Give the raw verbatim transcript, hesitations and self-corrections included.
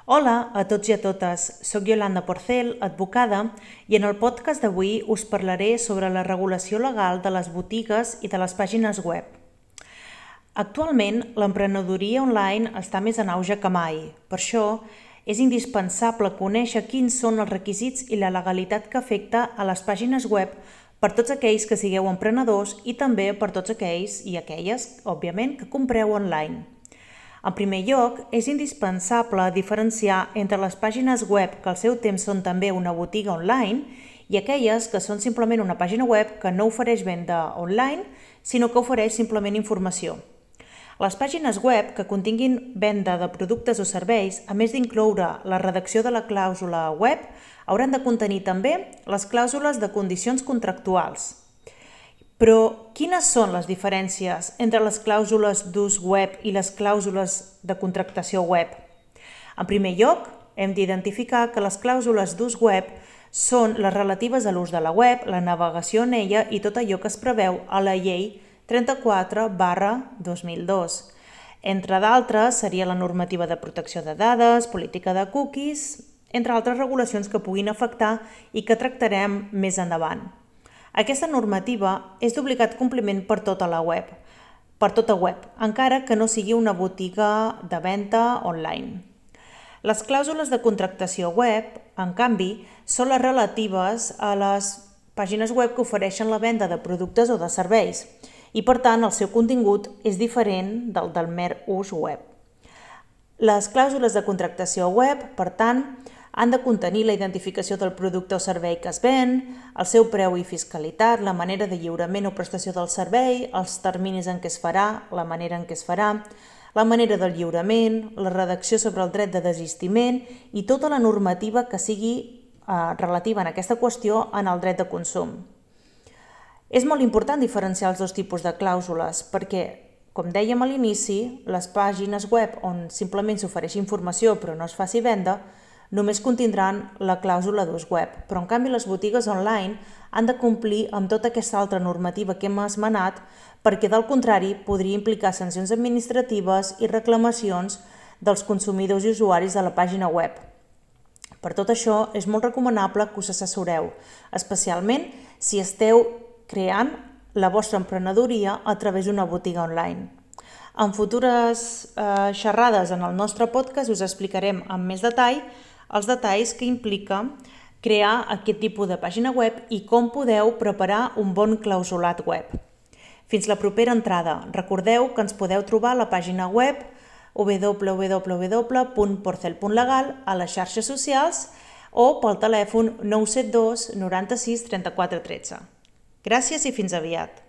Hola a tots i a totes, soc Yolanda Porcel, advocada, i en el podcast d'avui us parlaré sobre la regulació legal de les botigues i de les pàgines web. Actualment, l'emprenedoria online està més en auge que mai. Per això, és indispensable conèixer quins són els requisits i la legalitat que afecta a les pàgines web per tots aquells que sigueu emprenedors i també per tots aquells i aquelles, òbviament, que compreu online. En primer lloc, és indispensable diferenciar entre les pàgines web que al seu temps són també una botiga online i aquelles que són simplement una pàgina web que no ofereix venda online, sinó que ofereix simplement informació. Les pàgines web que continguin venda de productes o serveis, a més d'incloure la redacció de la clàusula web, hauran de contenir també les clàusules de condicions contractuals. Però quines són les diferències entre les clàusules d'ús web i les clàusules de contractació web? En primer lloc, hem d'identificar que les clàusules d'ús web són les relatives a l'ús de la web, la navegació en ella i tot allò que es preveu a la llei trenta-quatre barra dos mil dos. Entre d'altres, seria la normativa de protecció de dades, política de cookies, entre altres regulacions que puguin afectar i que tractarem més endavant. Aquesta normativa és d'obligat compliment per tota la web, per tota web, encara que no sigui una botiga de venda online. Les clàusules de contractació web, en canvi, són les relatives a les pàgines web que ofereixen la venda de productes o de serveis i, per tant, el seu contingut és diferent del del mer ús web. Les clàusules de contractació web, per tant, han de contenir la identificació del producte o servei que es ven, el seu preu i fiscalitat, la manera de lliurament o prestació del servei, els terminis en què es farà, la manera en què es farà, la manera del lliurament, la redacció sobre el dret de desistiment i tota la normativa que sigui eh, relativa en aquesta qüestió en el dret de consum. És molt important diferenciar els dos tipus de clàusules perquè, com dèiem a l'inici, les pàgines web on simplement s'ofereix informació però no es faci venda només contindran la clàusula d'ús web, però en canvi les botigues online han de complir amb tota aquesta altra normativa que hem esmenat perquè del contrari podria implicar sancions administratives i reclamacions dels consumidors i usuaris de la pàgina web. Per tot això és molt recomanable que us assessoreu, especialment si esteu creant la vostra emprenedoria a través d'una botiga online. En futures eh, xerrades en el nostre podcast us explicarem amb més detall els detalls que implica crear aquest tipus de pàgina web i com podeu preparar un bon clausulat web. Fins la propera entrada. Recordeu que ens podeu trobar a la pàgina web w w w punt porcel punt legal a les xarxes socials o pel telèfon nou set dos noranta-sis trenta-quatre tretze. Gràcies i fins aviat.